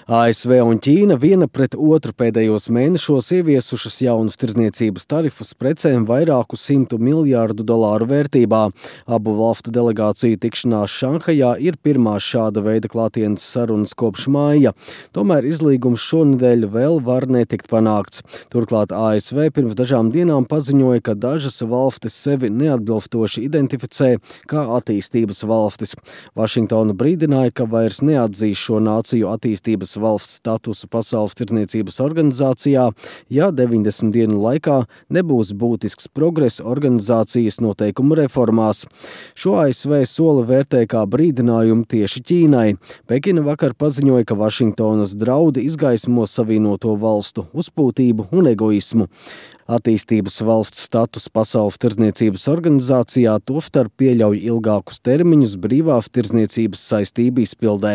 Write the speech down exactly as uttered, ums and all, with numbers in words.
A S V un Ķīna viena pret otru pēdējos mēnešos ieviesušas jaunus tirdzniecības tarifus precēm vairāku simtu miljārdu dolāru vērtībā. Abu valstu delegāciju tikšanās Šanhajā ir pirmās šāda veida klātienes sarunas kopš māja. Tomēr izlīgums šonedēļ vēl var netikt panākts. Turklāt A S V pirms dažām dienām paziņoja, ka dažas valstis sevi neatbilstoši identificē kā attīstības valstis. Vašingtona brīdināja, ka vairs neatzīs šo nāciju attīstības valsts statusu Pasaules tirdzniecības organizācijā, ja deviņdesmit dienu laikā nebūs būtisks progress organizācijas noteikumu reformās. Šo A S V soli vērtē kā brīdinājumu tieši Ķīnai. Pekina vakar paziņoja, ka Vašingtonas draudi izgaismo savienoto valstu uzpūtību un egoismu. Attīstības valsts status Pasaules tirdzniecības organizācijā tostarp pieļauj ilgākus termiņus brīvās tirdzniecības saistību izpildē.